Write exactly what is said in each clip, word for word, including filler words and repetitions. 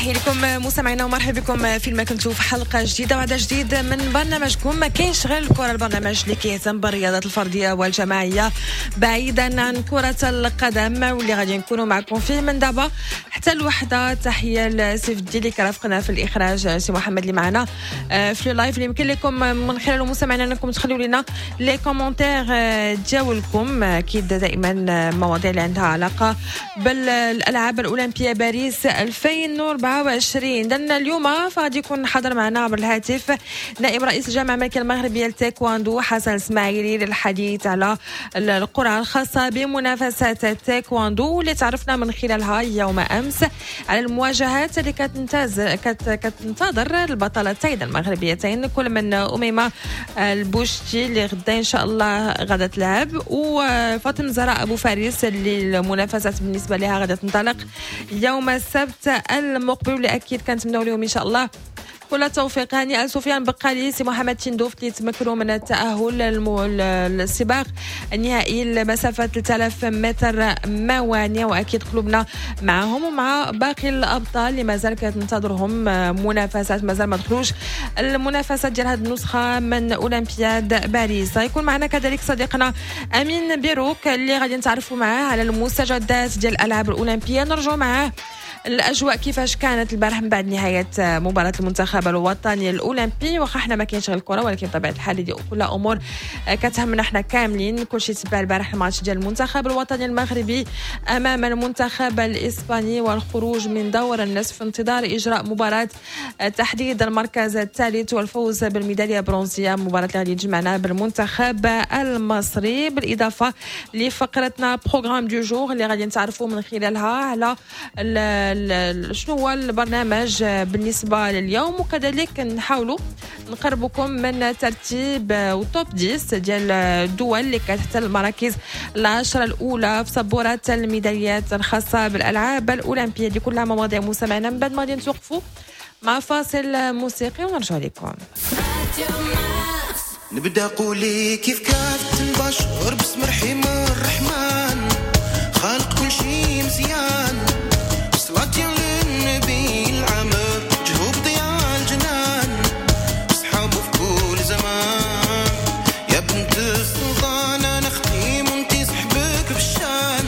تحية لكم مستمعينا ومرحبا بكم في ما كنتوا في حلقة جديدة وعدد جديد من برنامجكم ما كاينش غير الكره، البرنامج اللي كيهتم بالرياضات الفردية والجماعيه بعيدا عن كره القدم، واللي غادي نكونوا معكم فيه من دابا حتى الوحدة. تحية لسيف الدين اللي كرافقنا في الاخراج، سي محمد اللي معنا في ال live اللي يمكن لكم من خلاله مستمعينا انكم تخليو لنا les commentaires ديالكم، اكيد دائما مواضيع اللي عندها علاقة بالالعاب الاولمبية باريس ألفين وأربعة وعشرين. لأن اليوم فغادي يكون حاضر معنا عبر الهاتف نائب رئيس الجامعة الملكية المغربية للتايكواندو حسن الاسماعيلي للحديث على القرعة الخاصة بمنافسات التايكواندو اللي تعرفنا من خلالها يوم أمس على المواجهات اللي كتنتاز كتنتظر البطلتين المغربيتين، كل من أميمة البوشتي اللي غدا إن شاء الله غادا تلعب، وفاطمة زهراء أبو فارس اللي المنافسات بالنسبة لها غادا تنطلق يوم السبت المقبل، واللي اكيد كنتمناو لهم ان شاء الله كل التوفيق. هانئا سفيان بقالي، سي محمد تندوف اللي تمكنوا من التاهل للسباق النهائي لمسافة ثلاثة آلاف متر موانع، واكيد قلوبنا معهم ومع باقي الابطال اللي مازال كتنتظرهم منافسات، مازال ما دخلوش المنافسات ديال هذه النسخة من اولمبياد باريس. غيكون معنا كذلك صديقنا امين بيروك اللي غادي نتعرفوا معاه على المستجدات ديال الالعاب الاولمبية، نرجعوا معاه الاجواء كيفاش كانت البارح من بعد نهاية مباراة المنتخب الوطني الاولمبي. واخا حنا ما كاينش غير الكره، ولكن بطبيعة الحال دي كلها امور كتهمنا حنا كاملين. كلشي تبع البارح الماتش ديال المنتخب الوطني المغربي امام المنتخب الاسباني والخروج من دور النصف في انتظار اجراء مباراة تحديد المركز الثالث والفوز بالميداليه البرونزيه، مباراة اللي غادي تجمعنا بالمنتخب المصري. بالاضافة لفقرتنا programme du jour اللي غادي نتعرفوا من خلالها على شنو هو البرنامج بالنسبة لليوم، وكذلك نحاولوا نقربكم من ترتيب و top عشرة ديال الدول اللي كتحتل المراكز العشرة الأولى في سبورة الميداليات الخاصة بالألعاب الأولمبية. دي كلها مواضيع مستمعنا. من بعد ما غادي نتوقفوا مع فاصل موسيقي ونرجع لكم. نبدا قولي كيف كانت البشر باسم رحيم الرحمن، خالق كل شيء مزيان، صلاتي للنبي العمر جهوب ضياء الجنان، صحابه في كل زمان. يا بنت السلطان انا اختي وانتي صحبك بالشان،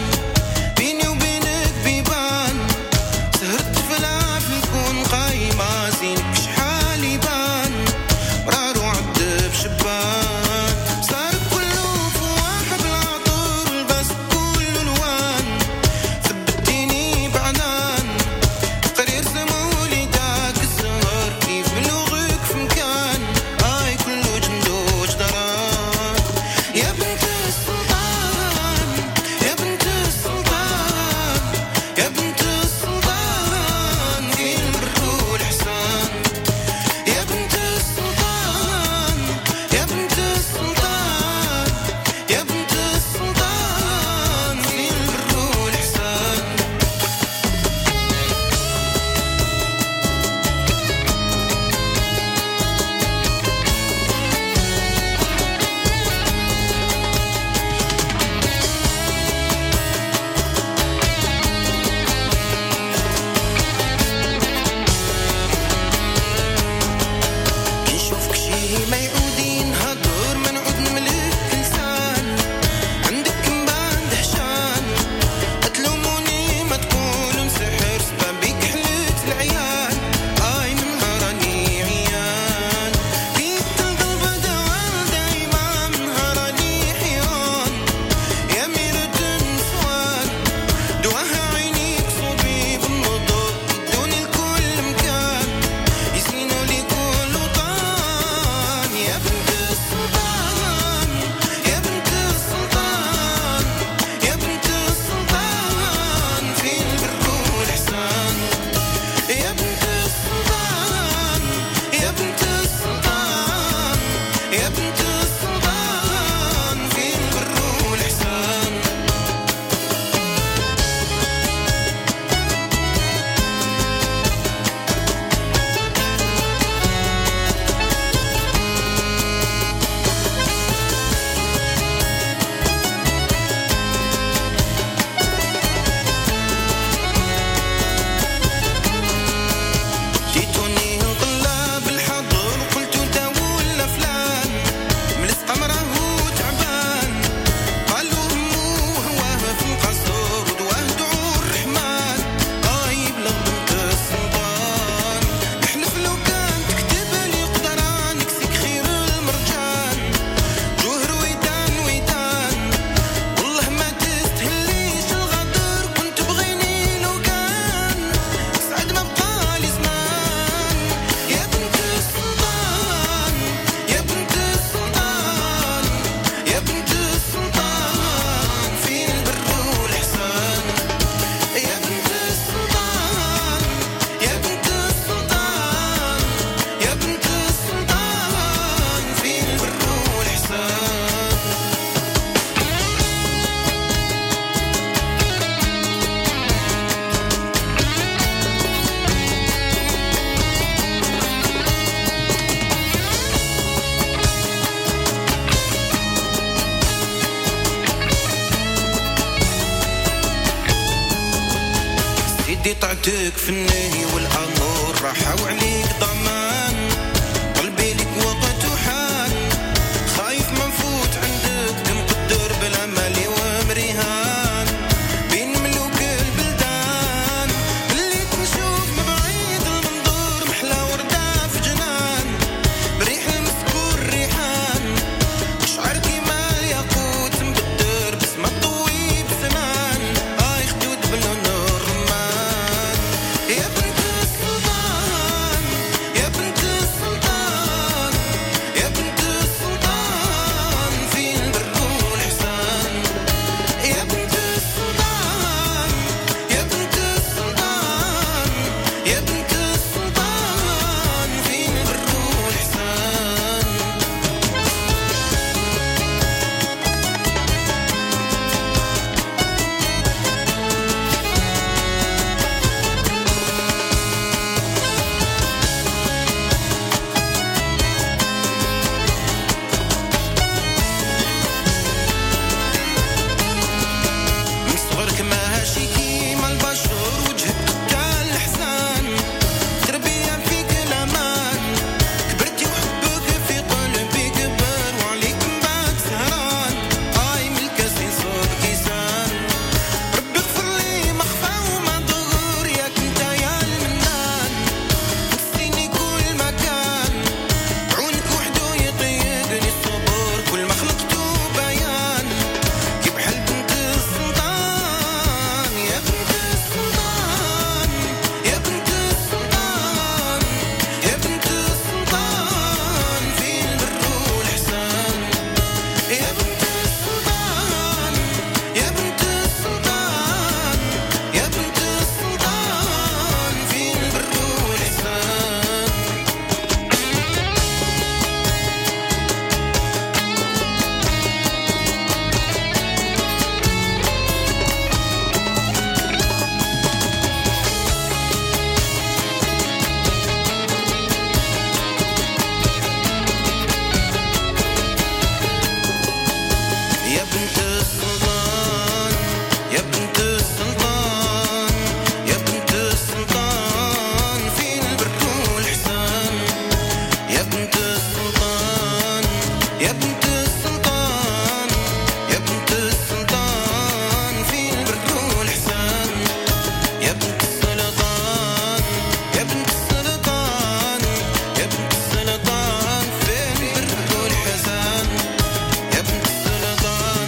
بيني وبينك بيبان، سهرت في العافية نكون قايمة، زينك شحال يبان، مرار وعد بشبان، صار كله فواح بالعطر البس كل الوان، ثبتيني بعنان قرير سمولي داك الزهر، كيف بلوغك في مكان هاي كله جندو جدران. يا بنت السلطان يا بنت السلطان يا بنت السلطان البر والإحسان، يا بنت السلطان يا بنت السلطان يا بنت السلطان البر والإحسان. سيدي طعتك في النهي والأمر راحة وعليك ضمان قلبي لك وقت وحان خايف ما نفوت عندك تمقدر بلا مالي ومريهان بين ملوك البلدان اللي تنشوف من بعيد المنظور محلى وردة في جنان بريح المسكور ريحان شعر كيما الياقوت مبدر بسمة طوي بسنان آي خدود بلون الرمان يا بنت السلطان يا بنت السلطان يا بنت السلطان فين البر والإحسان يا بنت السلطان يا بنت السلطان يا بنت السلطان فين البر والإحسان. من صغرك ماشي كيما البشر وجهك قتال الحسان تربية فيك الأمان كبرتي وحبك في قلبي كبر وعليك من بعد سهران آي من الكاس يصب كيسان ربي اغفر لي ما خفى وما ظهر ياك انت يا المنان نسيني كل مكان عونك وحدو يطيقني الصبر كل ما خلقتو بيان كي بحال بنت السلطان يا بنت السلطان يا بنت السلطان يا بنت السلطان فين البر والإحسان يا بنت السلطان يا بنت السلطان يا بنت السلطان فين البر والإحسان. يا بنت السلطان يا بنت السلطان يا بنت السلطان فين البر والإحسان يا بنت السلطان يا بنت السلطان يا بنت السلطان فين البر والإحسان يا بنت السلطان يا بنت السلطان يا بنت السلطان فين البر والإحسان يا بنت السلطان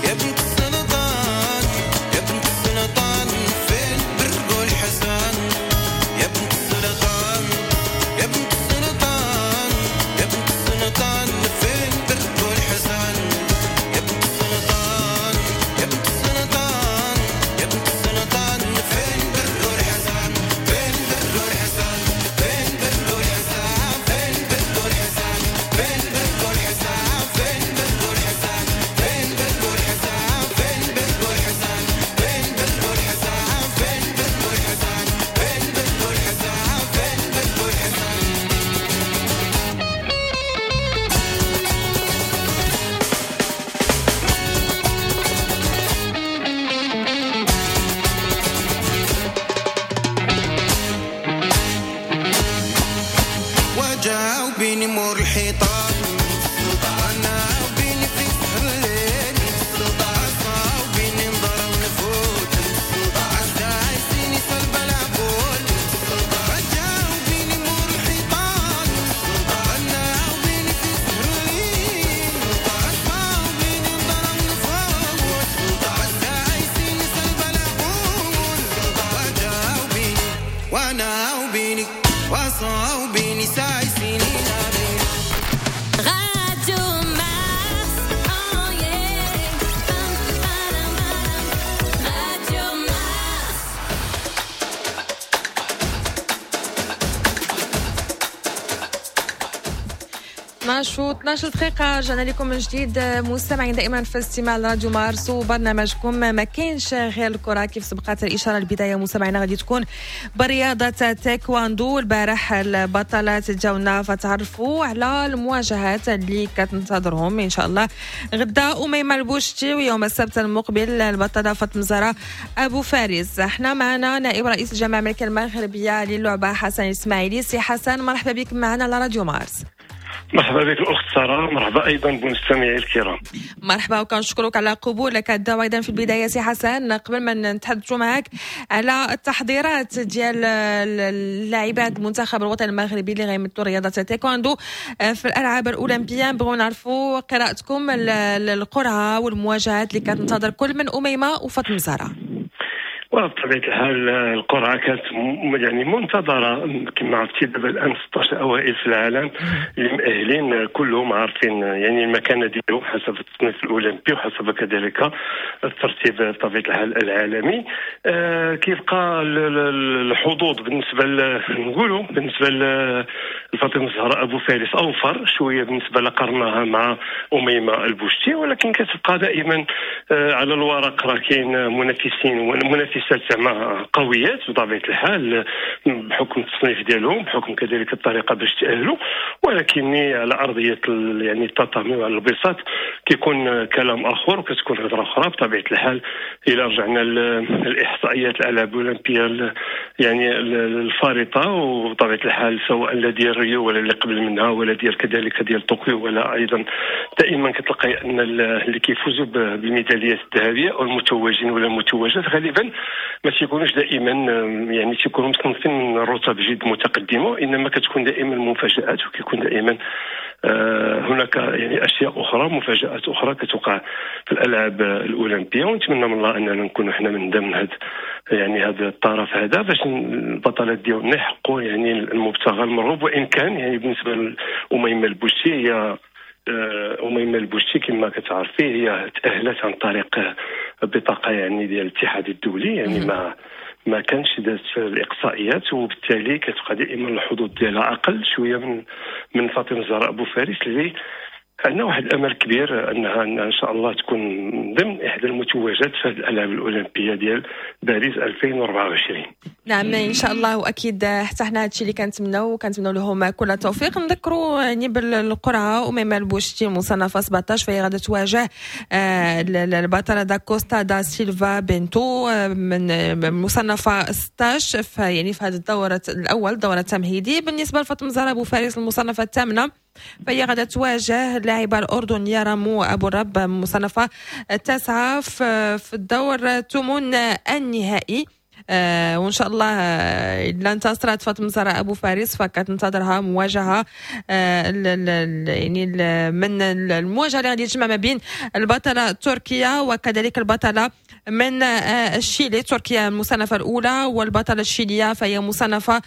يا بنت السلطان يا بنت السلطان فين البر والحسان يا بنت السلطان يا بنت السلطان يا بنت السلطان فين البر والحسان يا بنت السلطان يا بنت السلطان يا بنت السلطان فين البر والحسان فين البر والحسان فين البر والحسان فين البر والحسان فين البر والحسان فين البر والحسان فين البر والحسان فين البر والحسان فين البر والحسان فين البر والحسان فين البر والحسان فين البر والحسان. وجاوبيني مور الحيطان انا وبيني في سهر الليل عصاوبيني نضر ونفوت عسايسيني سلب العقول وجاوبيني مور الحيطان انا وبيني في سهر الليل عصاوبيني نضر ونفوت عسايسيني سلب العقول وجاوبيني وانا وبيني وصاوبيني سايسيني نابيني Radio Mars, oh yeah. Pam, param, param. Radio Mars. اثنا عشر و اثنا عشر دقيقة، رجعنا لكم من جديد مستمعين دائما في استماع راديو مارس وبرنامجكم ما كاينش غير الكرة. كيف سبقت الإشارة، البداية مستمعينا غادي تكون برياضة تايكواندو. البارح البطلات جاونا فتعرفوا على المواجهات اللي كتنتظرهم إن شاء الله غدا أميمة البوشتي، ويوم السبت المقبل البطلة فاطمة زهراء أبو فارس. احنا معنا نائب رئيس الجامعة الملكية المغربية للعبة حسن الإسماعيلي. سي حسن، مرحبا بك معنا على راديو مارس. مرحبا بك الاخت ساره، مرحبا ايضا بالمستمعين الكرام. مرحبا وكنشكرك على قبولك الدعوة. ايضا في البداية سي حسن، قبل ما نتحدثوا معك على التحضيرات ديال اللاعبات المنتخب الوطني المغربي اللي غيمثلوا رياضة التايكوندو في الالعاب الاولمبيه، نبغيو نعرفوا قراءتكم للقرعه والمواجهات اللي كتنتظر كل من اميمة وفاطمة زهراء. وبطبيعة الحال القرعة كانت يعني منتظره. كما عرفتي دابا الان ستة عشر اوائل في العالم اللي مؤهلين كلهم عارفين يعني المكانة ديالهم حسب التصنيف الاولمبي وحسب كذلك الترتيب بطبيعة الحال العالمي. آه كيبقى الحظوظ بالنسبة نقولوا بالنسبة لفاطمة الزهراء ابو فارس اوفر شوية بالنسبة لقرناها مع اميمة البوشتي، ولكن كتبقى دائما آه على الورق راه كاين منافسين ومنافسات زعما قويات بطبيعة الحال، بحكم التصنيف ديالهم، بحكم كذلك الطريقة باش تاهلوا، ولكن على ارضية يعني التاتامي وعلى البساط كيكون كلام اخر وكتكون هضره اخرى بطبيعة الحال. الى رجعنا الاحصائيات الالعاب الاولمبية يعني الفارطه، وبطبيعة الحال سواء لا ديال ريو ولا اللي قبل منها ولا ديال كذلك ديال طوكيو ولا ايضا، دائما كتلقاي ان اللي كيفوزوا بالميداليات الذهبية او المتوجين ولا المتوجات غالبا ما تيكونوش دائما يعني تيكونوا مصنفين من رتب جد متقدمه، وانما كتكون دائما مفاجات وكيكون دائما آه، هناك يعني اشياء اخرى، مفاجات اخرى كتوقع في الالعاب الاولمبيه. ونتمنى من الله اننا نكونوا حنا من ضمن هذا يعني هذا الطرف هذا باش البطلات ديالنا يحققوا يعني المبتغى المرغوب. وان كان يعني بالنسبة لاميمه البوشتي، هي آه، اميمة البوشتي كما كتعرفي هي تاهلت عن طريق بطاقة يعني ديال الاتحاد الدولي، يعني ما ما كانش دازت في الاقصائيات، وبالتالي كتبقى دائما الحظوظ ديالها اقل شوية من من فاطمة الزهراء ابو فارس، اللي عندنا واحد الامل كبير انها ان شاء الله تكون ضمن احدى المتوجات في الالعاب الاولمبية ديال باريس ألفين وأربعة وعشرين. نعم، ان شاء الله، واكيد حتى حنا هادشي اللي كنتمناو وكنتمناو لهم كل التوفيق. نذكروا يعني بالقرعه، اميمة البوشتي المصنفه سبعة عشر فهي غادا تواجه آه، البطلة دا كوستا دا سيلفا بنتو آه، من مصنفه ستة عشر في يعني في هذا الدور الاول، الدور التمهيدي. بالنسبة لفاطمة زهراء ابو فارس المصنفه الثامنة فهي غادا تواجه اللاعبة الأردنية رامو أبو الرب مصنفة التاسعة في الدور الثمن النهائي. آه وان شاء الله آه، الا انتصرت فاطمة زهراء ابو فارس فكتنتظرها مواجهة آه يعني من المواجهة اللي غادي تجمع ما بين البطلة التركية وكذلك البطلة من آه، الشيلي. تركيا المصنفة الأولى والبطلة الشيلية فهي مصنفة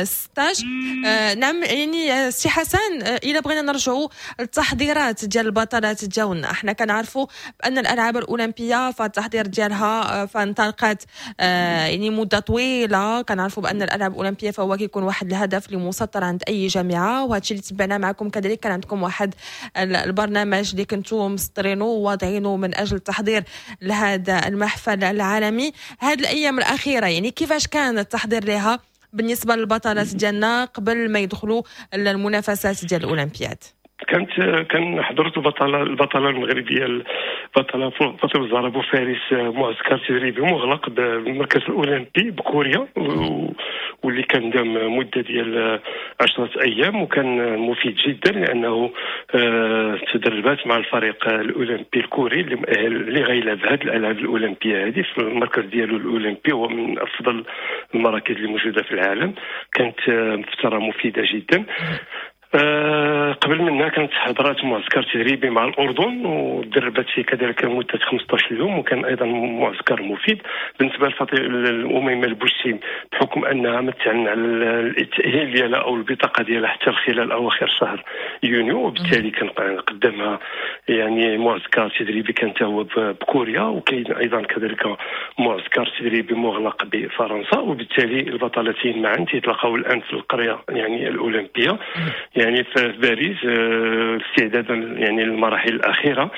ستة عشر. آه، نعم، يعني آه، سي حسن، إذا بغينا نرجعوا التحضيرات ديال البطلات ديالنا، احنا كنعرفوا بأن الألعاب الأولمبية فالتحضير ديالها فانطلقت يعني مدة طويلة. كنعرفوا بأن الألعاب الأولمبية فهو كيكون واحد الهدف اللي مسطر عند أي جامعة، وهذا الشيء اللي تبعناه معكم. كذلك كان عندكم واحد البرنامج اللي كنتو مسطرينه وواضعينه من أجل التحضير لهذا هذا المحفل العالمي. هذه الايام الاخيرة يعني كيفاش كان التحضير لها بالنسبة للبطلات ديالنا قبل ما يدخلوا المنافسات ديال الاولمبياد؟ كانت كان حضرت البطله البطله المغربية البطلة فاطمة الزهراء ابو فارس معسكر تدريبي مغلق بالمركز الاولمبي بكوريا، واللي كان دام مده ديال عشرة ايام وكان مفيد جدا، لانه آه، تدربات مع الفريق الاولمبي الكوري اللي اللي غيلعب هذه الالعاب الاولمبية هذه في المركز ديالو الاولمبي، هو من افضل المراكز اللي موجودة في العالم. كانت آه، فترة مفيدة جدا. آه، قبل منها كانت حضرات معسكر تدريبي مع الاردن ودربت فيه كذلك لمدة خمسة عشر يوم، وكان ايضا معسكر مفيد. بالنسبة لاميمه البوشتي، بحكم انها ما تعلن على التاهيل ديالها او البطاقة ديالها حتى خلال اواخر شهر يونيو، وبالتالي كان قدامها يعني معسكر تدريبي كان هو بكوريا، وكاين ايضا كذلك معسكر تدريبي مغلق بفرنسا، وبالتالي البطلتين معا تيتلاقاو الان في القرية يعني الاولمبية يعني في باريس. باريس، استعدادا يعني للمراحل الاخيرة،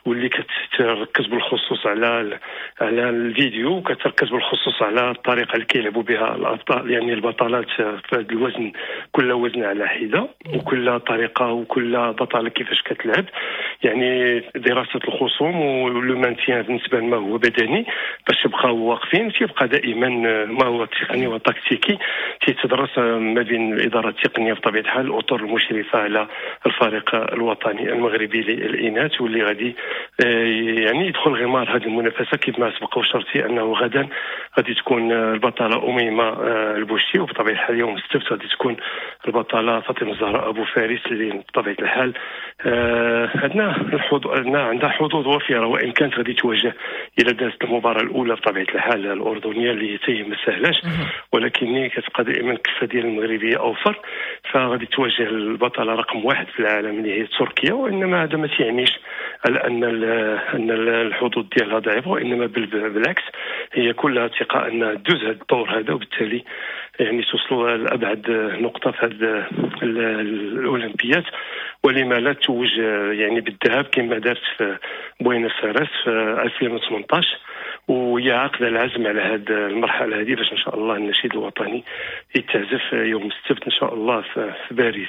واللي كتركز بالخصوص على على الفيديو، وكتركز بالخصوص على الطريقة اللي كيلعبوا بها الابطال، يعني البطلات في هذا الوزن، كل وزن على حده وكل طريقه وكل بطلة كيفاش كتلعب، يعني دراسة الخصوم و le maintien بالنسبة لما هو بدني باش يبقاو واقفين. تيبقى دائما ما هو تقني وتكتيكي تيتدرس ما بين الادارة التقنية بطبيعة الحال، الاطر المشرفة على الفريق الوطني المغربي للاناث، واللي غادي يعني يدخل غمار هذه المنافسة كيف ما سبق وشرتي انه غدا غادي تكون البطلة اميمة البوشتي، وبطبيعة الحال يوم السبت غادي تكون البطلة فاطمة الزهراء ابو فارس، اللي بطبيعة الحال عندنا الحظوظ، عندها حظوظ وفيرة، وان كانت غادي تواجه الى دازت المباراة الاولى بطبيعة الحال الاردنية اللي هي ما سهلاش، ولكن كتبقى دائما الكفة ديال المغربية اوفر، فغادي تواجه البطلة رقم واحد في العالم اللي هي تركيا، وانما هذا ما تيعنيش على ان ان الحظوظ ديالها ضعيفة، وانما بالعكس هي كلها ثقة ان دوز هذا الدور هذا، وبالتالي يعني توصلوا لابعد نقطة في هذه الاولمبيات، ولما لا توج يعني بالذهب كما دارت في بوينس ايرس في ألفين وثمانية عشر. وهي عاقده العزم على هذه المرحلة هذه باش ان شاء الله النشيد الوطني يتعزف يوم السبت ان شاء الله في باريس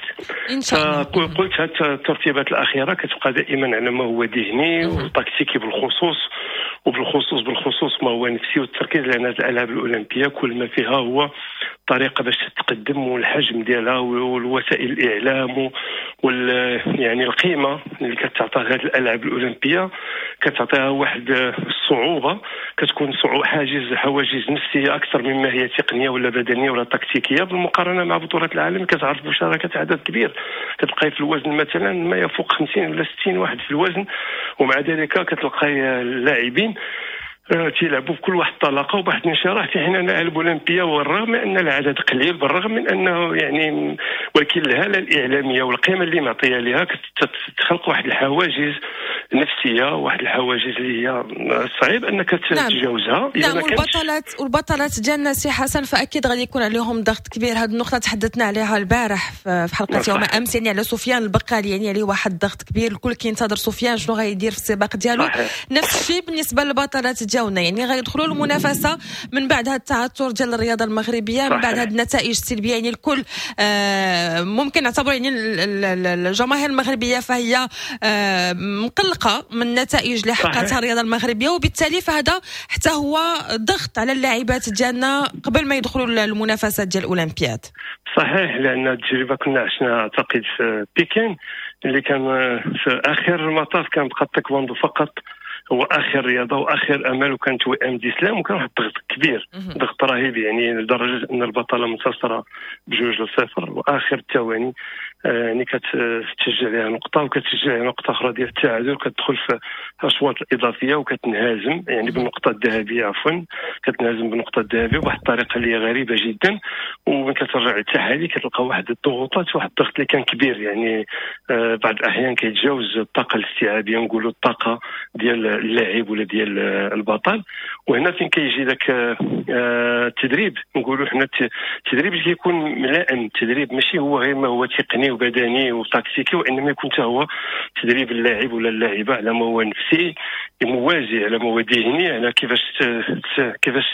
ان شاء الله. قلت هذه الترتيبات الاخيرة كتبقى دائما على ما هو ذهني وتكتيكي بالخصوص، وبالخصوص بالخصوص ما هو نفسي والتركيز، لان هذه الالعاب الاولمبية كل ما فيها هو طريقه باش تتقدم، والحجم ديالها والوسائل الاعلام وال يعني القيمة اللي كتعطيها هذه الالعاب الاولمبية كتعطيها واحد الصعوبة، كتكون صعوبة حاجز حواجز نفسية اكثر مما هي تقنية ولا بدنية ولا تكتيكية بالمقارنة مع بطولات العالم. كتعرف مشاركة عدد كبير، كتلقاي في الوزن مثلا ما يفوق خمسين ولا ستين واحد في الوزن، ومع ذلك كتلقاي اللاعبين تيلعبوا بكل واحد الطلاقه وبواحد الانشراح، في حين ان الالعاب الاولمبية والرغم ان العدد قليل، بالرغم من انه يعني، ولكن الهالة الاعلامية والقيمة اللي معطيه لها كتخلق واحد الحواجز نفسية، واحد الحواجز اللي هي صعيب انك تتجاوزها. نعم, نعم. والبطلات والبطلات ديالنا سي حسن فاكيد غادي يكون عليهم ضغط كبير. هذه النقطة تحدثنا عليها البارح في حلقة يوم امس، يعني على سفيان البقالي، يعني عليه واحد الضغط كبير، الكل كينتظر سفيان شنو غيدير في السباق ديالو. نفس الشيء بالنسبة للبطلات ديالنا، يعني غيدخلوا المنافسة من بعد هذا التعثر ديال الرياضة المغربية، من بعد هذه النتائج السلبية، يعني الكل آه ممكن نعتبر يعني الجماهير المغربية فهي آه مقلقة من النتائج اللي حققتها الرياضة المغربية، وبالتالي فهذا حتى هو ضغط على اللاعبات ديالنا قبل ما يدخلوا المنافسات ديال الاولمبياد. صحيح، لان التجربة كنا عشنا اعتقد في بكين اللي كان في اخر المطاف كان بقى التايكواندو فقط هو اخر رياضة واخر امل، وكانت وئام ديسلام، وكان واحد الضغط كبير، ضغط رهيب، يعني لدرجة ان البطلة منتصره بجوج لصفر واخر الثواني يعني كتسجل عليها نقطة وكتسجل عليها نقطة اخرى ديال التعادل، وكتدخل في الاشواط الاضافية وكتنهزم يعني بالنقطة الذهبية، عفوا كتنهزم بالنقطة الذهبية بواحد الطريقة اللي هي غريبة جدا. ومن كترجع للتحاليل كتلقى واحد الضغوطات، واحد الضغط اللي كان كبير، يعني بعض الاحيان كيتجاوز الطاقة الاستيعابيه، نقولوا الطاقة ديال اللاعب ولا ديال البطل. وهنا فين كيجي ذاك التدريب، نقولوا حنا التدريب اللي كيكون ملائم، التدريب ماشي هو غير ما هو تقني وبدني وتكتيكي، وانما يكون حتى هو تدريب اللاعب ولا اللاعبه على ما هو نفسي موازي، على ما هو ذهني، على كيفاش كيفاش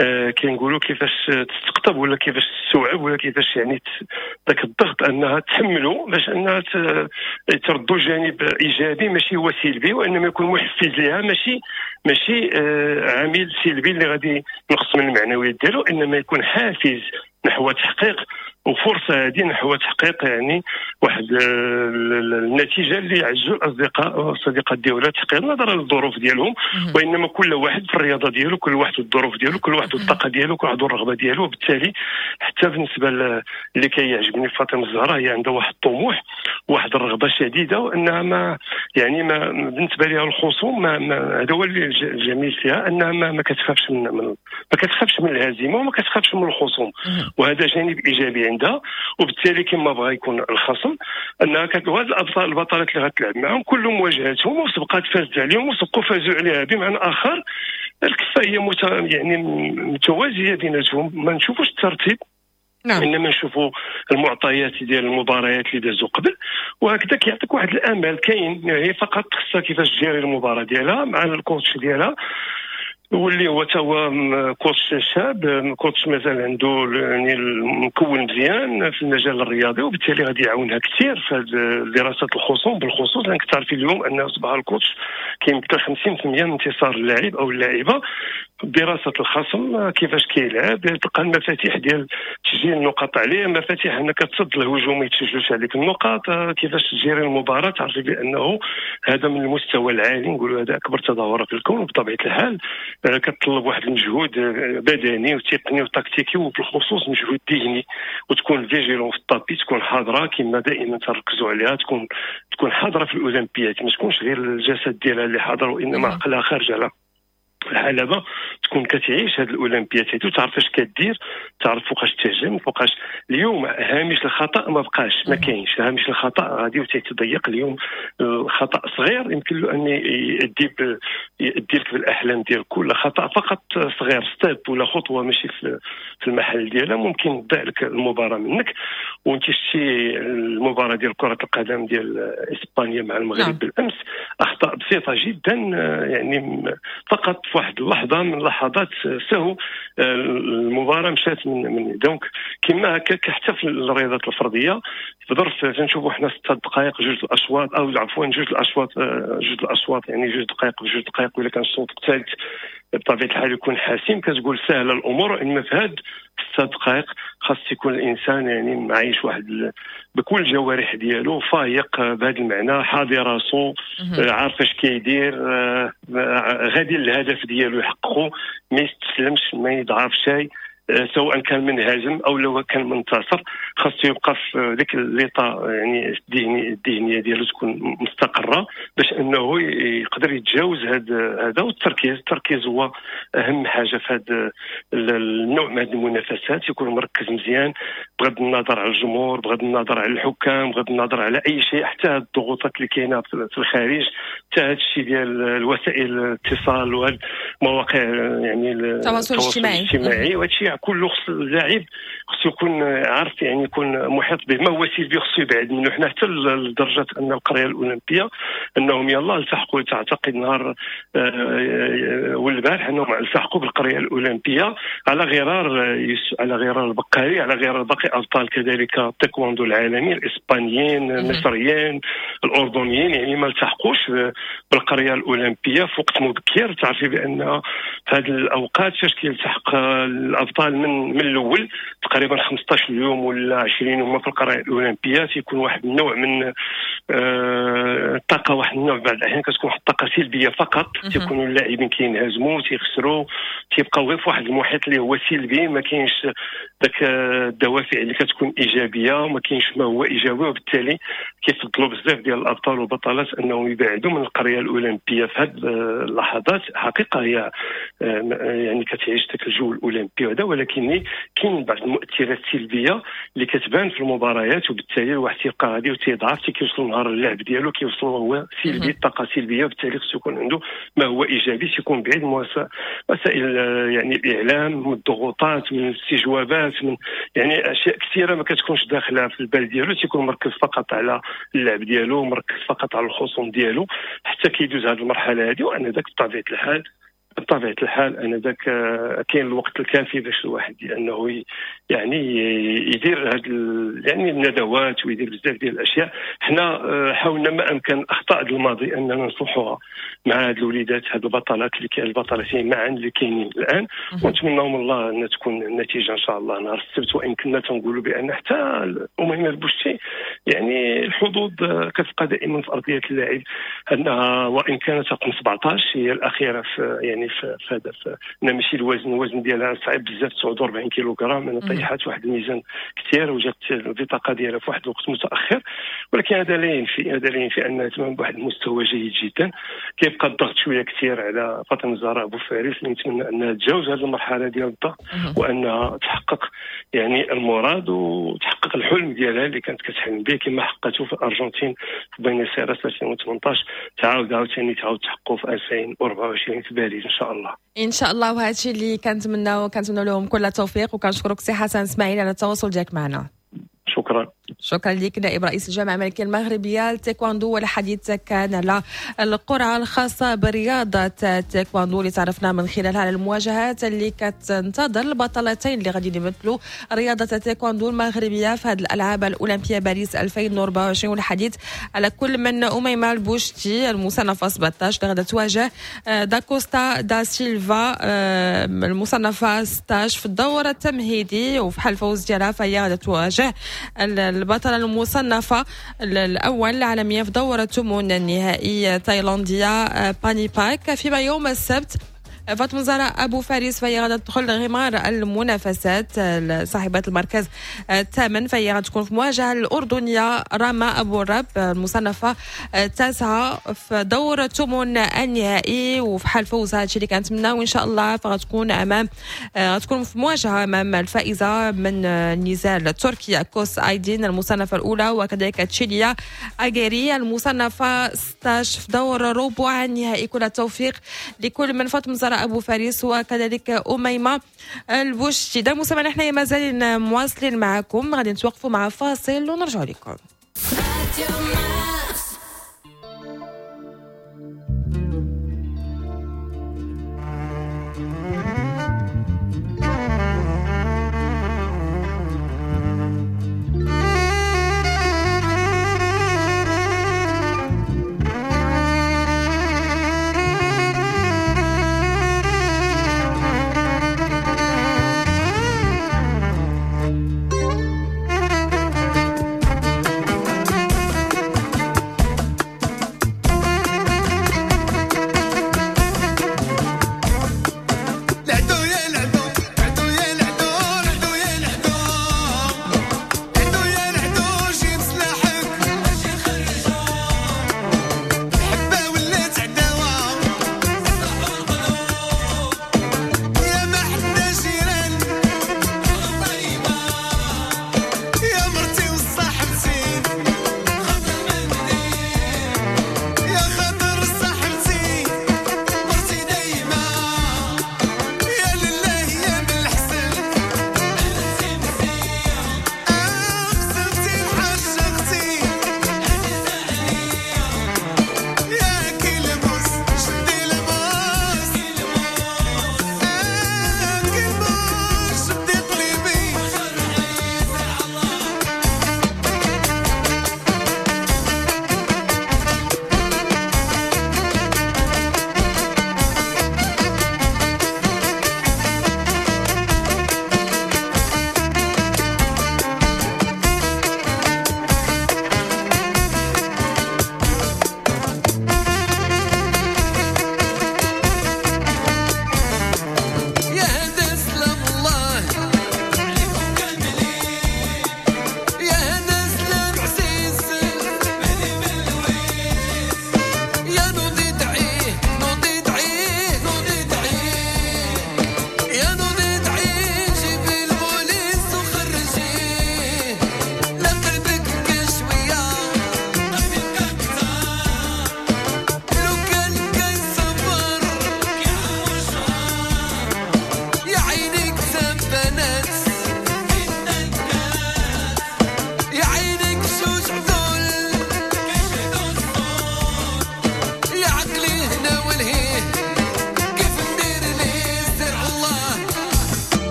آه كنقولوا كيفاش تستقطب ولا كيفاش تستوعب ولا كيفاش يعني ذاك الضغط انها تحمله باش انها تردو جانب ايجابي ماشي هو سلبي، وانما يكون محفز لها، ماشي ماشي آه عامل سلبي اللي غادي ينقص من المعنويات ديالو، انما يكون حافز نحو تحقيق وفرصه هذه نحو تحقيق يعني واحد النتيجة اللي يعزوا الاصدقاء والصديقات ديالها تحقيق نظرا للظروف ديالهم، وانما كل واحد في الرياضة ديالو، كل واحد الظروف ديالو، كل واحد الطاقة ديالو، كل واحد الرغبة ديالو. وبالتالي حتى بالنسبة اللي كيعجبني فاطمة الزهراء، هي عندها واحد الطموح واحد الرغبة شديدة، وانها ما يعني ما بالنسبة لها الخصوم ما هذا هو اللي الجميل فيها، انها ما, ما كتخافش من, من ما كتخافش من الهزيمة وما كتخافش من الخصوم، وهذا جانب ايجابي عندها. وبالتالي كما بغى يكون الخصم انها كتوازن الابطال البطلات اللي غتلعب معاهم كلهم واجهتهم وسبقات فازت عليهم وسبقوا فازوا عليها، بمعنى اخر الكفة هي مت... يعني متوازية بيناتهم. ما نشوفوش الترتيب نعم. انما نشوفوا المعطيات ديال المباريات اللي دازوا قبل، وهكذا كيعطيك واحد الامل كاين. هي فقط خصها كيفاش تجيري المباراة ديالها مع ال coach ديالها، واللي هو تا هو coach شاب، coach مازال عنده يعني مكون مزيان في المجال الرياضي، وبالتالي غادي يعاونها كثير في دراسة الخصوم بالخصوص، لانك تعرفي اليوم ان اصبح ال coach كيمثل خمسين بالمئة من انتصار اللاعب او اللاعبه. دراسة الخصم كيفاش كيلعب، تلقى المفاتيح ديال تسجيل النقاط عليه، مفاتيح انك تصد الهجوم ما يتسجلوش عليك النقاط، كيفاش تجيري المباراة. تعرفي بانه هذا من المستوى العالي، نقولوا هذا اكبر تظاهرة في الكون، وبطبيعة الحال كتطلب واحد المجهود بدني وتقني وتكتيكي، وبالخصوص مجهود ذهني، وتكون vigilant في ال tapis، تكون حاضره كما دائما تركزوا عليها، تكون تكون حاضره في الاولمبيات، ما تكونش غير الجسد ديالها اللي حاضر وانما عقلها خارج على الحلبة، تكون كتعيش هذه الاولمبيات هادو، تعرف اش كدير، تعرف فوقاش تهجم فوقاش. اليوم هامش الخطا ما بقاش، ما كاينش هامش الخطا، غادي وتيتضيق. اليوم الخطا صغير يمكن له ان يؤدي يؤدي لك بالاحلام ديال كل خطا فقط صغير، step ولا خطوة ماشي في في المحل ديالها ممكن تضيع لك المباراة منك. وانت شتي المباراة ديال كره القدم ديال اسبانيا مع المغرب نعم. بالامس، اخطاء بسيطة جدا، يعني فقط في واحد اللحظة من لحظات سهو المباراة مشات من من donc كما هكاك حتى في الرياضات الفردية في ظرف تنشوفوا حنا ست دقائق جوج الاشواط، او عفوا جوج الاشواط جوج الاشواط يعني جوج دقائق بجوج دقائق، ولا كان الشوط الثالث بطبيعة الحال يكون حاسم، كتقول سهلة الامور. انما في هاد ست دقائق خاص يكون الانسان يعني معايش واحد بكل الجوارح ديالو، فايق بهذا المعنى، حاضر راسو، عارف اش كيدير، غادي للهدف ديالو يحققه، ما يستسلمش، ما يضعف شيء، سواء كان منهزم او لو كان منتصر، خاصو يبقى في ديك l'état يعني الذهني الذهنية ديالو تكون مستقره باش انه يقدر يتجاوز هذا هذا. والتركيز، التركيز هو اهم حاجة في هذا النوع من هذه المنافسات، يكون مركز مزيان بغض النظر على الجمهور، بغض النظر على الحكام، بغض النظر على اي شيء، حتى هاد الضغوطات اللي كاينه في الخارج، حتى هذا الشيء ديال الوسائل الاتصال والمواقع يعني التواصل الاجتماعي الاجتماعي، وهذا الشيء كله خص اللاعب خصو يكون عارف، يعني يكون محيط به. ما هو سلبي خصو يبعد منه. حنا حتى لدرجة ان القرية الاولمبية انهم يلا التحقوا، تعتقد نهار والبارح انهم التحقوا بالقريه الاولمبية على غرار على غرار البقالي، على غرار باقي ابطال كذلك التايكوندو العالمي، الاسبانيين، المصريين، الاردنيين، يعني ما التحقوش بالقريه الاولمبية في وقت مبكر. تعرفي بان في هذه الاوقات فاش كيلتحق الابطال من من الاول تقريبا خمسطاش يوم ولا عشرين يوم في القرية الاولمبية، تيكون واحد النوع من الطاقة، واحد النوع بعض الاحيان كتكون واحد الطاقة سلبية فقط، تيكونوا اللاعبين كينهزموا، تيخسروا، تيبقاو غير في واحد المحيط اللي هو سلبي، ما كاينش داك الدوافع اللي كتكون ايجابية، وما كاينش ما هو ايجابي، وبالتالي كيفضلوا بزاف ديال الابطال والبطلات انهم يبعدوا من القرية الاولمبية في هذه اللحظات. حقيقة هي يعني كتعيش داك الجو الاولمبي هذا، ولكن كاين بعض المؤثرات السلبية اللي كتبان في المباريات، وبالتالي الواحد تيبقى غادي وتيضعف، كيوصل نهار اللعب ديالو كيوصل هو سلبي، الطاقة سلبية، وبالتالي خصو يكون عنده ما هو ايجابي، تيكون بعيد من وسائل يعني الاعلام، من الضغوطات، من الاستجوابات، من يعني اشياء كثيرة ما كتكونش داخله في البال ديالو، تيكون مركز فقط على اللعب ديالو، مركز فقط على الخصوم ديالو حتى كيدوز هذه المرحلة هذه. وانا ذاك بطبيعة الحال بطبيعة الحال انا ذاك كاين الوقت الكافي باش الواحد انه يعني يدير هاد يعني الندوات ويدير بزاف ديال الاشياء. حنا حاولنا ما امكن اخطاء الماضي اننا نصلحوها مع هاد الوليدات، هاد البطلات اللي كاين البطلتين معا اللي كاينين الان، ونتمنوا من الله ان تكون النتيجة ان شاء الله نهار السبت. وان كنا تنقولوا بان حتى اميمة البوشتي يعني الحظوظ كتبقى دائما في ارضية اللاعب، انها وان كانت رقم سبعطاش هي الاخيرة في يعني في هذا، ماشي الوزن، الوزن ديالها صعيب بزاف تسعة وأربعين كيلوغرام، انا طيحات واحد الميزان كثير وجات البطاقة ديالها في واحد الوقت متاخر، ولكن هذا لا ينفي هذا لا ينفي انها تمام بواحد المستوى جيد جدا. كيبقى الضغط شوية كثير على فاطمة الزهراء ابو فارس، اللي نتمنى انها تجاوز هذه المرحلة ديال الضغط وانها تحقق يعني المراد وتحقق الحلم ديالها اللي كانت كتحلم به كما حققته في الارجنتين في بوينس ايرس ألفين وثمنطاش، تعاود عاوتاني تعاود تحققه في ألفين وأربعة وعشرين في باريس ان شاء الله. ان شاء الله، وهذا الشيء اللي كنتمناو كنتمناو لهم كل التوفيق، وكنشكرك سي حسن اسماعيل على التواصل ديالك معنا. شكرا. شكرا لك نائب رئيس الجامعة الملكية المغربية للتايكواندو، والحديث كان على القرعة الخاصة برياضة التايكواندو اللي تعرفنا من خلالها على المواجهات اللي كتنتظر البطلتين اللي غادي يمثلوا رياضة التايكواندو المغربية في هذه الألعاب الأولمبية باريس ألفين وأربعة وعشرين. والحديث على كل من أميمة البوشتي المصنفة سبعطاش اللي غادي تواجه داكوستا دا سيلفا المصنفة ستاش في الدور التمهيدي، وفي حال الفوز ديالها فهي غادي تواجه البطلة المصنفة الأول العالمية في دورة ثمن النهائي تايلاندية باني باك. فيما يوم السبت فاطمة زهراء أبو فارس فهي غادا تدخل غمار المنافسات صاحبة المركز الثامن، فهي غادا تكون في مواجهة الأردنية راما أبو الرب المصنفة التاسعة في دور ثمن النهائي. وفي حال فوزها هادشي اللي كنتمناو وإن شاء الله فغتكون أمام غتكون في مواجهة أمام الفائزة من النزال التركية كوس أيدين المصنفة الأولى، وكذلك تشيليا أجيري المصنفة ستاش في دور ربع النهائي. كل التوفيق لكل من فاطمة زهراء أبو فارس وكذلك أميمة البوشتي. دا مستمعينا حنايا مازالين مواصلين معكم، غادي نتوقفوا مع فاصل ونرجع لكم.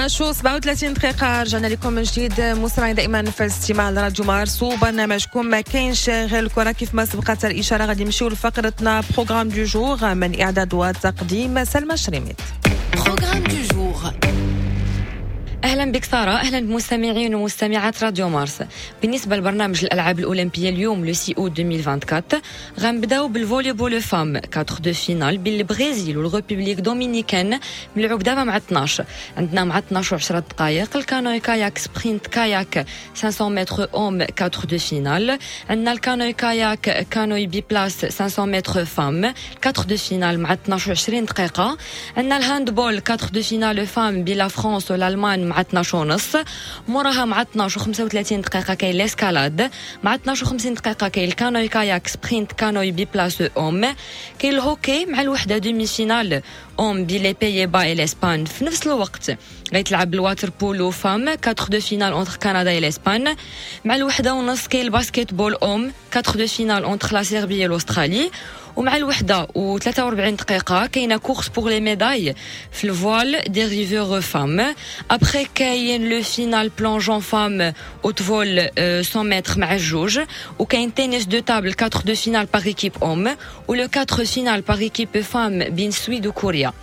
اثنا عشر و سبعة وثلاثين دقيقة، رجعنا لكم من جديد مستمعين دائما في الاستماع لراديو مارس وبرنامجكم ما كاينش غير الكرة. كيف ما سبقت الإشارة غادي نمشيو لفقرتنا programme du jour من إعداد وتقديم سلمى شريميت. programme du jour. اهلا بك ساره، اهلا بمستمعين ومستمعات راديو مارس. بالنسبة لبرنامج الالعاب الاولمبية اليوم le six août ألفين وأربعة وعشرين، غنبداو بال volley-ball femmes quart de finale بين البرازيل وال République dominicaine، ملعوب دابا مع اثنا عشر. عندنا مع اثنا عشر و عشرة دقائق ال canoë-kayak sprint kayak خمسمية متر hommes quart de finale. عندنا ال canoë-kayak canoë biplace خمسمية متر femmes quart de finale مع اثنا عشر و عشرين دقيقه. عندنا ال handball quart de finale femmes بين la France والالمان مع اثنا عشر ونص. موراها مع اثنا عشر و خمسة وثلاثين دقيقة كاين l'escalade. مع اثنا عشر و خمسين دقيقة كاين ال canoë-kayak sprint canoë biplace hommes. كاين الهوكي مع الوحدة demi-finale hommes بين les Pays-Bas et l'Espagne. في نفس الوقت غيتلعب ال water-polo femmes quart de finale entre Canada et l'Espagne. مع الوحدة ونص كاين ال basket-ball hommes quart de finale entre la Serbie et l'Australie. ومع الوحدة و ثلاثة وأربعين دقيقة كاينة course pour les médailles في ال voile dériveur femmes. après كاين le finale plongeon femmes haute vol مية متر مع الجوج. وكاين tennis de table quart de finale par équipe hommes و le quart finale par équipe femmes بين السويد وكوريا.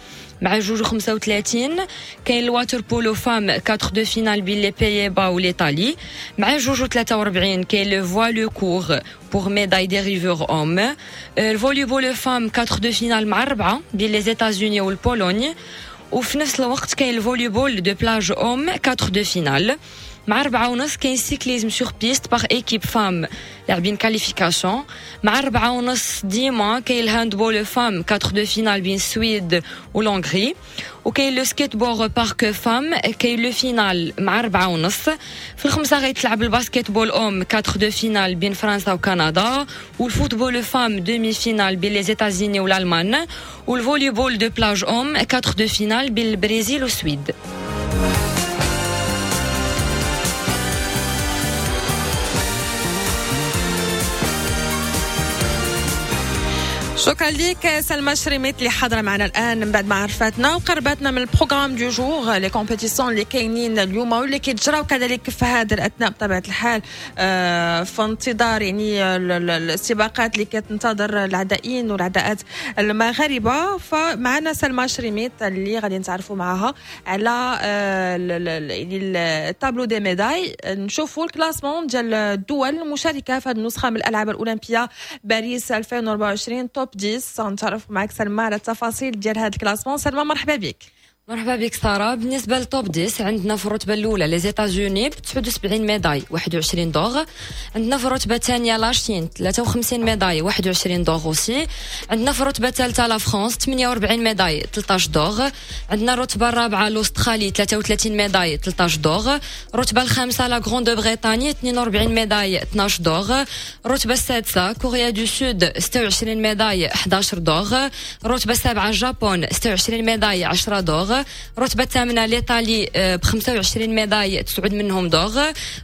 مع جوج و خمسة وثلاثين كاين ال water-polo femmes quart de finale بين les Pays-Bas و l'Italie. مع جوج و ثلاثة وأربعين كاين le voile court pour médaille dériveur hommes. ال volley-ball femmes quart de finale مع أربعة بين les États-Unis وال Pologne. وفي نفس الوقت كاين ال volley-ball de plage hommes quart de finale. مع أربعة ونص كاين cyclisme sur piste par équipe femmes لاعبين qualification. مع أربعة ونص ديما كاين ال handball femmes quart de finale بين السويد و l'Hongrie. وكاين le skateboard park femmes، كاين le finale مع أربعة ونص. في الخمسة غيتلعب ال basket-ball hommes quart de finale بين فرنسا وكندا، وال football femmes demi-finale بين les États-Unis والالمان، وال volley-ball de plage hommes quart de finale بين البرازيل والسويد. شكرا لك سلمى شريميت اللي حاضره معنا الان من بعد ما عرفتنا وقربتنا من ال programme du jour، les compétitions اللي كاينين اليوم واللي كيتجراو كذلك في هذا الاثناء. بطبيعة الحال آه، في انتظار يعني السباقات اللي كتنتظر العدائين والعداءات المغاربه، فمعنا سلمى شريميت اللي غادي نتعرفوا معها على آه، يعني ال tableau des médailles، نشوفوا ال classement ديال الدول المشاركة في هذه النسخة من الالعاب الاولمبية باريس ألفين وأربعة وعشرين، top عشرة. نتعرف معك سلمى على التفاصيل ديال هذا ال classement. سلمى، مرحبا بك. مرحبا بك ساره. بالنسبة لل top عشرة، عندنا في الرتبة الاولى les États-Unis ب تسعة وسبعين médailles، واحد وعشرين d'or. عندنا في الرتبة الثانية la Chine، ثلاثة وخمسين médailles، واحد وعشرين d'or aussi. عندنا في الرتبة الثالثة la France، ثمانية وأربعين médailles، ثلاثة عشر d'or. عندنا الرتبة الرابعة l'Australie، ثلاثة وثلاثين médailles، ثلاثة عشر d'or. الرتبة الخامسة la Grande-Bretagne، اثنين وأربعين médailles، اثنا عشر d'or. الرتبة السادسة Corée du Sud، ستة وعشرين médailles، حداش d'or. الرتبة السابعة Japon، ستة وعشرين médailles، عشرة d'or. الرتبة الثامنة l'Italie ب خمسة وعشرين médailles، تسعة منهم d'or.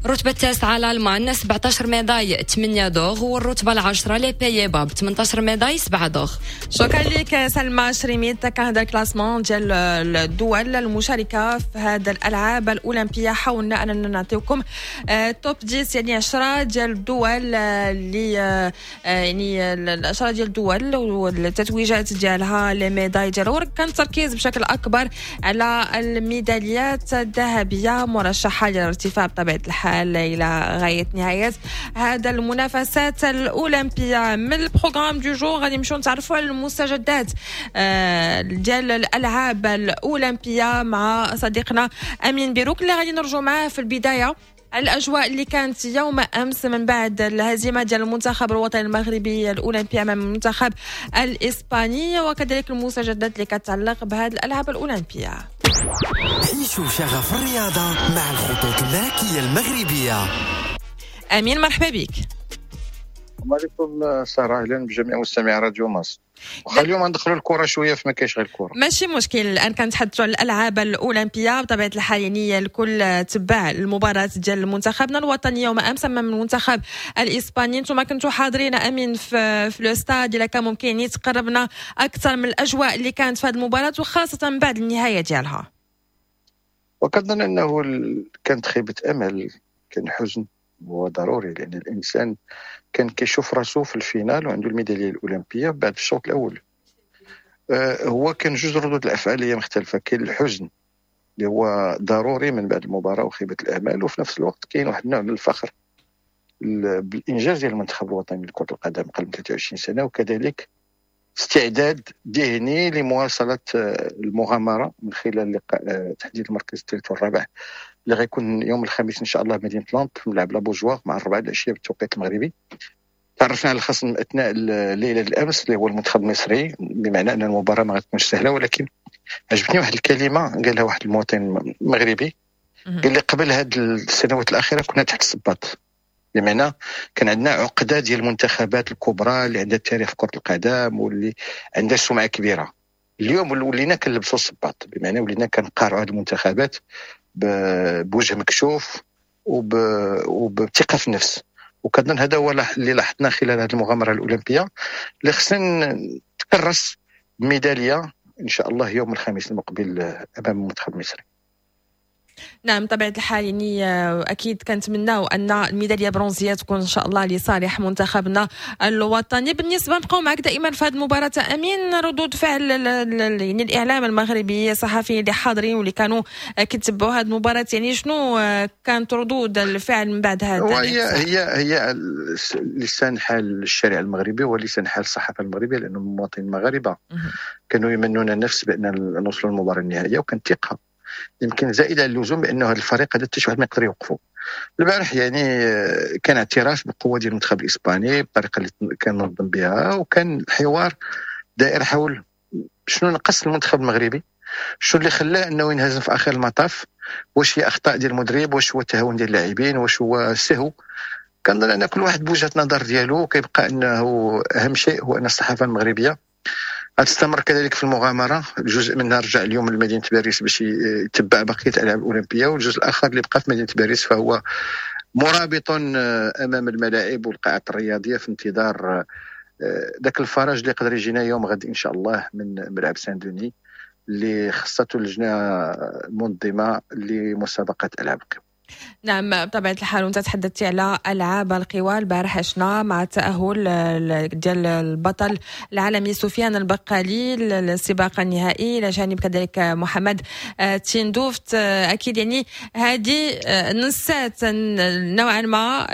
الرتبة التاسعة الالمان، سبعة عشر médailles، ثمانية d'or. والرتبه العاشرة les Pays-Bas ب ثمنطاش médailles، سبعة d'or. شكرا لك سلمى شريميت. كان هذا ال classement ديال الدول المشاركة في هذا الالعاب الاولمبيه. حاولنا اننا نعطيكم top عشرة، يعني عشرة ديال الدول اللي آه، يعني عشرة ديال الدول والتتويجات ديالها، les médailles ديالها. كان التركيز بشكل اكبر على الميداليات الذهبية مرشحة للارتفاع بطبيعة الحال الى غاية نهاية هذا المنافسات الاولمبيه. من ال programme du jour غادي نمشيو نتعرفوا على المستجدات آه، ديال الالعاب الاولمبية مع صديقنا امين بيروك، اللي غادي نرجو معاه في البداية على الاجواء اللي كانت يوم امس من بعد الهزيمة ديال المنتخب الوطني المغربي الاولمبي امام المنتخب الاسباني، وكذلك المستجدات اللي كتعلق بهذه الالعاب الاولمبية. عيشوا شغف الرياضة مع الخطوط الملكية المغربيه. امين، مرحبا بك. السلام عليكم ساره، اهلا بجميع مستمعي راديو مارس. واخا اليوم ندخلوا الكره شويه، فما كاينش غير الكره. ماشي مشكل. الان كنتحدثوا على الالعاب الاولمبية بطبيعة الحال، يعني الكل تبع المباراة ديال منتخبنا الوطني يوم امس امام المنتخب الاسباني. انتم كنتوا حاضرين امين في في le stade، الا كان ممكن يعني تقربنا اكثر من الاجواء اللي كانت في هذه المباراة وخاصة بعد النهاية ديالها. وكنظن انه كانت خيبه امل، كان حزن هو ضروري، لان الانسان كان كيشوف راسو في ال finale وعنده الميداليه الاولمبية بعد الشوط الاول. هو كان جوج ردود الافعال هي مختلفة، كاين الحزن اللي هو ضروري من بعد المباراة وخيبه الامال، وفي نفس الوقت كاين واحد النوع من الفخر بالانجاز ديال المنتخب الوطني لكرة القدم قبل ثلاثة وعشرين سنة، وكذلك استعداد ذهني لمواصلة المغامرة من خلال لقاء تحديد المركز الثالث والرابع اللي غيكون يوم الخميس ان شاء الله بمدينة نانت في ملعب La Beaujoire مع الربعه العشية بالتوقيت المغربي. تعرفنا على الخصم اثناء الليلة الامس اللي هو المنتخب المصري، بمعنى ان المباراة ما غتكونش سهلة، ولكن عجبتني واحد الكلمة قالها واحد المواطن مغربي، قال لي قبل هذه السنوات الاخيرة كنا تحت الصباط، بمعنى كان عندنا عقده ديال المنتخبات الكبرى اللي عندها تاريخ كره القدم واللي عندها سمعه كبيرة. اليوم ولينا كنلبسوا الصباط، بمعنى ولينا كنقارعوا هذه المنتخبات بوجه مكشوف وب... وبثقه في النفس. وكنظن هذا هو اللي لاحظنا خلال هذه المغامرة الاولمبية اللي خصنا تكرس بميداليه ان شاء الله يوم الخميس المقبل امام المنتخب المصري. نعم بطبيعة الحال، يعني أكيد كنتمناو أن الميدالية برونزية تكون إن شاء الله لصالح منتخبنا الوطني. بالنسبة نبقاو معك دائما في هذه المباراة أمين، ردود فعل يعني الإعلام المغربي، الصحفيين اللي حاضرين واللي كانوا كيتبعوا هذه المباراة، يعني شنو كانت ردود الفعل من بعد هذا؟ هي هي هي لسان حال الشارع المغربي ولسان حال الصحافة المغربية، لأن المواطنين المغاربة كانوا يمنون النفس بأن نوصلوا للمباراة النهائية، وكانت ثقة يمكن زائدة على اللزوم بانه هذا الفريق هذا حتى شي واحد ما يقدر يوقفه. البارح يعني كان اعتراف بالقوة ديال المنتخب الاسباني بالطريقة اللي كان نظم بها، وكان الحوار دائر حول شنو نقص المنتخب المغربي، شنو اللي خلاه انه ينهزم في اخر المطاف، واش هي اخطاء ديال المدرب، واش هو التهاون ديال اللاعبين، واش هو سهو. كنظن ان كل واحد بوجهه نظر ديالو، كيبقى انه اهم شيء هو ان الصحافة المغربية غتستمر كذلك في المغامرة. جزء منها رجع اليوم لمدينة باريس باش يتبع بقية الالعاب الاولمبية، والجزء الاخر اللي بقى في مدينة باريس فهو مرابط امام الملاعب والقاعات الرياضية في انتظار ذاك الفرج اللي يقدر يجينا يوم غد ان شاء الله من ملعب سان دوني اللي خصته اللجنة المنظمة لمسابقه العاب القوى. نعم بطبيعة الحال، وانت تحدثتي على ألعاب القوى، البارح عشنا مع التأهل ديال البطل العالمي سفيان البقالي للسباق النهائي، إلى جانب كذلك محمد تيندوفت. أكيد يعني هذه نسات نوعا ما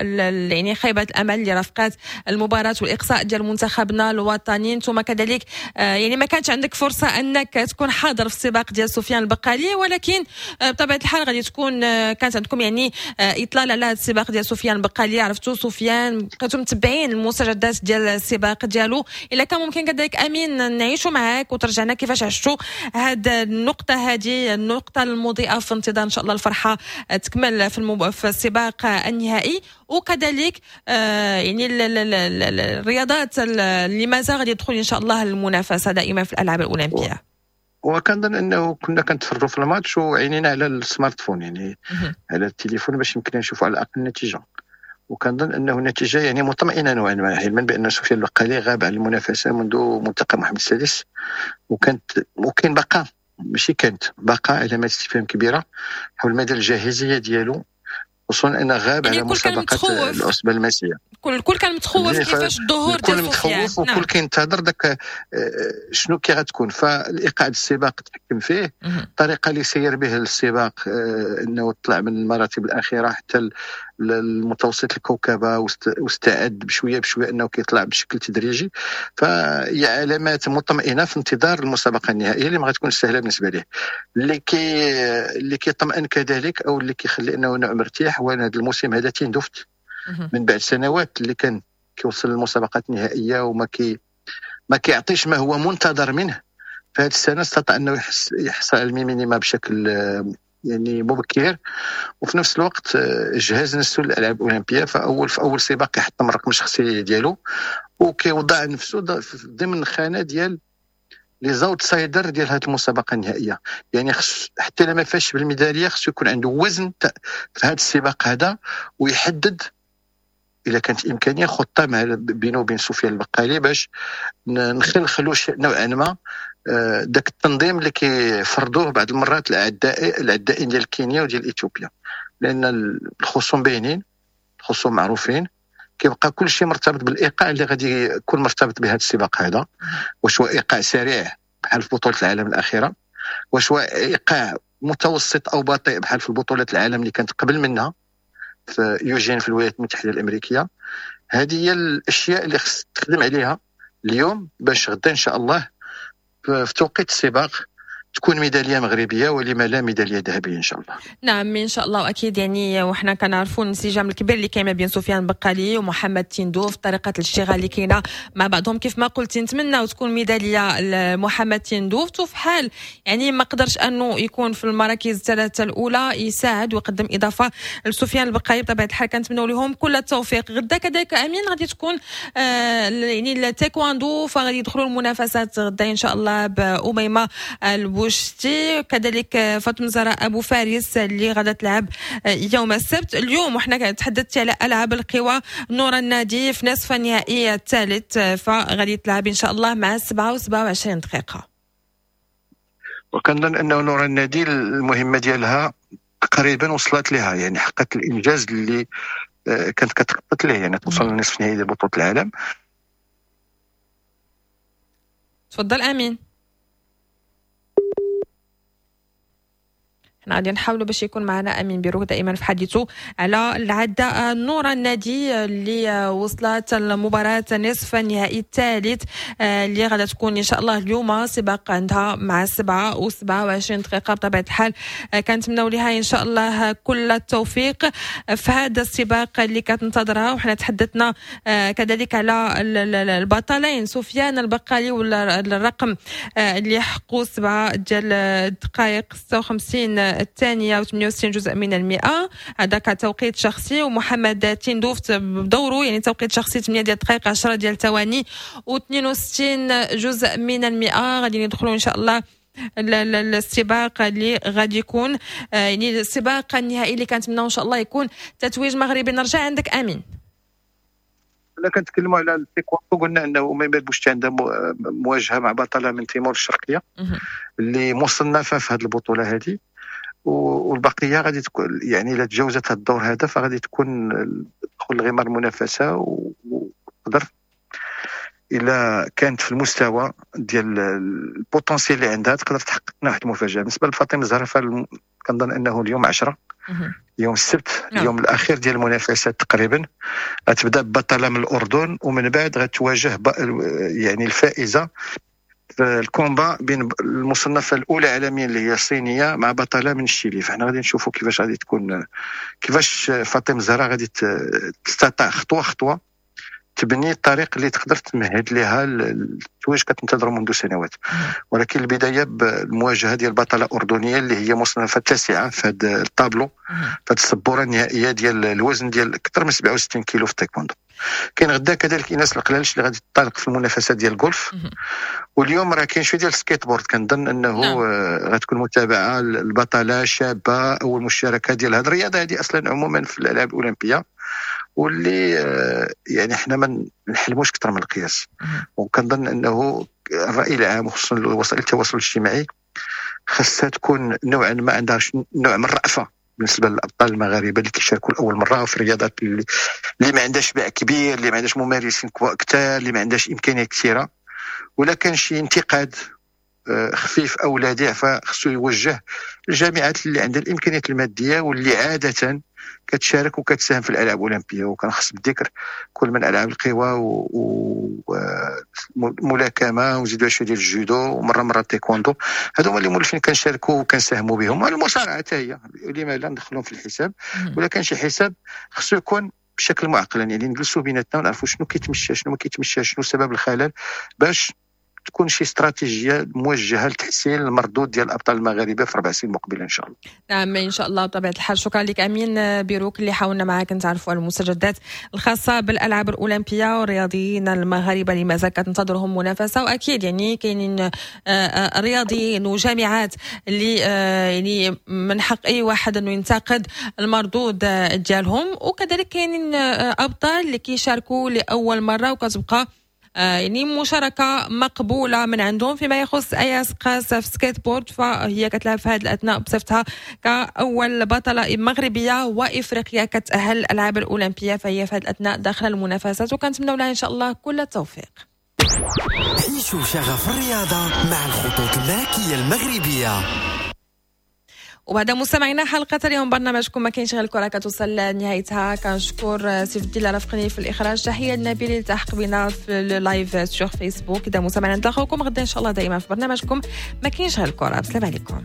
يعني خيبة الأمل اللي رافقات المباراة والإقصاء ديال منتخبنا الوطني. انتم كذلك يعني ما كانش عندك فرصة أنك تكون حاضر في السباق ديال سفيان البقالي، ولكن بطبيعة الحال غادي تكون كانت عندكم يعني اطلال على هذا السباق ديال سفيان البقالي. عرفتوا سفيان، بقيتوا متبعين المستجدات ديال السباق ديالو. الا كان ممكن كذلك امين نعيشوا معاك وترجعنا كيفاش عشتوا هذه النقطة، هذه النقطة المضيئة في انتظار ان شاء الله الفرحة تكمل في, المب... في السباق النهائي، وكذلك آه يعني الرياضات اللي مازال غادي يدخل ان شاء الله المنافسة دائما في الالعاب الاولمبية. وكنظن انه كنا كنتفرجوا في الماتش وعينينا على ال smartphone، يعني على التليفون باش يمكن نشوفوا على الاقل النتيجة. وكنظن انه النتيجة يعني مطمئنة نوعا ما، علما بان سفيان البقالي غاب عن المنافسة منذ ملتقى محمد السادس، وكانت وكاين بقى ماشي كانت بقى علامات استفهام كبيرة حول مدى الجاهزيه ديالو، خصوصا انه غاب يعني على مسابقة العصبة الماسيه. كل الكل كان متخوف كيفاش الظهور ديال سفيان، متخوف وكل نعم. كينتظر داك شنو كي غتكون. فالايقاع السباق تحكم فيه، الطريقة اللي سير به السباق انه طلع من المراتب الاخيرة حتى المتوسط الكوكبه واستعد بشوية بشوية انه كيطلع بشكل تدريجي. فهي علامات مطمئنة في انتظار المسابقة النهائية اللي ما غتكونش سهلة بالنسبة ليه. اللي كي اللي كيطمئن كذلك او اللي كيخلي انه نوع مرتاح هو هذا الموسم هذا تيندوفت من بعد سنوات اللي كان كيوصل للمسابقات النهائية وما كي ما كيعطيش ما هو منتظر منه. فهذه السنة استطاع انه يحس يحصل على ال minima بشكل يعني مبكر، وفي نفس الوقت جهز نفسه للالعاب الاولمبية. فاول في اول سباق يحطم الرقم الشخصي ديالو وكيوضع نفسه ضمن خانه ديال les outsiders ديال هذه المسابقة النهائية. يعني خص حتى لما فاش بالميداليه خصو يكون عنده وزن في هذا السباق هذا، ويحدد اذا كانت امكانية خطه مع بينه وبين سفيان البقالي باش نخلخلوا نوعا ما ذاك التنظيم اللي كيفرضوه بعض المرات العداء العدائين ديال كينيا وديال اثيوبيا، لان الخصوم باينين، الخصوم معروفين، كيبقى كل شيء مرتبط بالايقاع اللي غادي يكون مرتبط بهذا السباق هذا. واش هو ايقاع سريع بحال في بطوله العالم الاخيرة، واش هو ايقاع متوسط او بطيء بحال في بطوله العالم اللي كانت قبل منها في يوجين في الولايات المتحدة الامريكية. هذه هي الاشياء اللي خص تخدم عليها اليوم باش غدا ان شاء الله في توقيت السباق تكون ميدالية مغربية ولما لا ميدالية ذهبية ان شاء الله. نعم ان شاء الله. واكيد يعني وحنا كنعرفوا الانسجام الكبير اللي كاين ما بين سفيان بقالي ومحمد تندوف، طريقه الاشتغال اللي كاينه مع بعضهم كيف ما قلتي. نتمنى تكون ميدالية لمحمد تندوف، وفي حال يعني ما قدرش انه يكون في المراكز الثلاثة الاولى يساعد ويقدم اضافه لسفيان البقالي. بطبيعة الحال كنتمنوا لهم كل التوفيق. غدا كذلك امين غادي تكون آه يعني التايكواندو، فغادي يدخلوا المنافسات غدا ان شاء الله باميمه البوشتي، كذلك فاطمة زهراء ابو فارس اللي غادا تلعب يوم السبت. اليوم وحنا تحدثت على العاب القوى، نورا النادي في نصف النهائي الثالث، فغادي تلعب ان شاء الله مع سبعة وسبعة وعشرين دقيقة. وكنظن انه نورا النادي المهمة ديالها تقريبا وصلت لها، يعني حققت الانجاز اللي كانت كتخطط ليه، يعني توصل لنصف النهائي ديال بطوله العالم. تفضل امين. حنا غادي نحاولوا باش يكون معنا امين بيروك دائما في حديثه على العداء نورا النادي اللي وصلت المباراة نصف النهائي الثالث اللي غادا تكون ان شاء الله اليوم سباق عندها مع سبعة وسبعة وعشرين دقيقة. بطبيعة الحال كنتمناو لها ان شاء الله كل التوفيق في هذا السباق اللي كتنتظرها. وحنا تحدثنا كذلك على البطلين سفيان البقالي والرقم اللي حقوا سبعة ديال الدقائق ستة وخمسين الثانية وثمانية وستين جزء من المئة، هذا كتوقيت شخصي. ومحمد تندوف بدوره يعني توقيت شخصي ثمانية ديال الدقائق عشرة ديال الثواني واثنين وستين جزء من المئة. غادي ندخلوا إن شاء الله السباق اللي غادي يكون يعني السباق النهائي اللي كنتمناو إن شاء الله يكون تتويج مغربي. نرجع عندك أمين. كنا كنتكلموا على التايكوندو، قلنا انه اميمة البوشتي عندها مواجهة مع بطلة من تيمور الشرقية اللي مصنفه في هذه البطولة هذه، والبقية غادي تكون يعني الا تجاوزت هذا الدور هذا فغادي تكون تدخل غمار المنافسة، وتقدر الا كانت في المستوى ديال ال potentiel اللي عندها تقدر تحقق لنا واحد المفاجاة. بالنسبة لفاطمة الزهراء كنظن انه اليوم عشرة يوم السبت اليوم الاخير ديال المنافسات تقريبا، غتبدا ببطله من الاردن ومن بعد غتواجه يعني الفائزه في ال combat بين المصنفه الاولى عالميا اللي هي الصينية مع بطلة من الشيلي. فحنا غادي نشوفوا كيفاش غادي تكون، كيفاش فاطمة الزهراء غادي تستطيع خطوة خطوة تبني الطريق اللي تقدر تمهد لها التتويج كتنتظر منذ سنوات. ولكن البداية بالمواجهه ديال بطلة اردنية اللي هي مصنفه التاسعة في هذا الطابلو، في هذه السبوره النهائية ديال الوزن ديال اكثر من سبعة وستين كيلو في التايكوندو. كاين غدا كذلك ايناس القلالش اللي غادي تطالق في المنافسات ديال الجولف، واليوم راه كاين شوية ديال السكيت بورد. كنظن انه نعم. غتكون متابعه البطلة شابه اول مشاركة ديال هذه الرياضة هذه اصلا عموما في الالعاب الاولمبية، واللي يعني حنا ما نحلموش اكثر من القياس. وكنظن انه الراي العام وخصوصا وسائل التواصل الاجتماعي خاصها تكون نوعا ما عندها نوع من الرأفة بالنسبة للابطال المغاربة اللي كيشاركوا لاول مرة في الرياضات اللي, اللي ما عندهاش باع كبير، اللي ما عندهاش ممارسين كثار، اللي ما عندهاش امكانيات كثيرة. ولا كان شي انتقاد خفيف او لاذع فخصو يوجه الجامعات اللي عندها الامكانيات المادية واللي عادة كتشارك وكتساهم في الالعاب الاولمبية. وكان خص بالذكر كل من العاب القوى والملاكمه وزيدوا شوية ديال الجودو ومرة مرة التايكوندو، هادو هما اللي مولفين كنشاركوا وكنساهموا بهم. المصارعة حتى هي لما لا ندخلهم في الحساب، ولا كان شي حساب خصو يكون بشكل معقل، يعني نجلسوا بيناتنا ونعرفوا شنو كيتمشى شنو ما كيتمشى، شنو سبب الخلل، باش تكون شي استراتيجية موجهة لتحسين المردود ديال الابطال المغاربة في ربع سنين المقبلة ان شاء الله. نعم ان شاء الله بطبيعة الحال. شكرا لك امين بيروك اللي حاولنا معاك نتعرفوا على المستجدات الخاصة بالالعاب الاولمبية والرياضيين المغاربة اللي مازال كتنتظرهم منافسه. واكيد يعني كاينين رياضيين وجامعات اللي يعني من حق اي واحد انه ينتقد المردود ديالهم، وكذلك كاينين ابطال اللي كيشاركوا لاول مرة وكتبقى يعني مشاركة مقبولة من عندهم. فيما يخص ايا سقاس في سكيت بورد، فهي كتلعب في هذه الاثناء بصفتها كاول بطلة مغربية وافريقيه كتاهل الالعاب الاولمبيه، فهي في هذه الاثناء داخله المنافسات، وكنتمنوا لها ان شاء الله كل التوفيق. عيشوا شغف الرياضة مع الخطوط الملكية المغربية. وبهذا مستمعينا حلقة اليوم برنامجكم ما كاينش غير الكره كتوصل لنهايتها. كنشكر سيف الدين اللي رافقني في الاخراج، تحية لنبيل اللي التحق بنا في ال live sur Facebook. اذا مستمعينا نتلاقاوكم غدا ان شاء الله دائما في برنامجكم ما كاينش غير الكره. بسلام عليكم.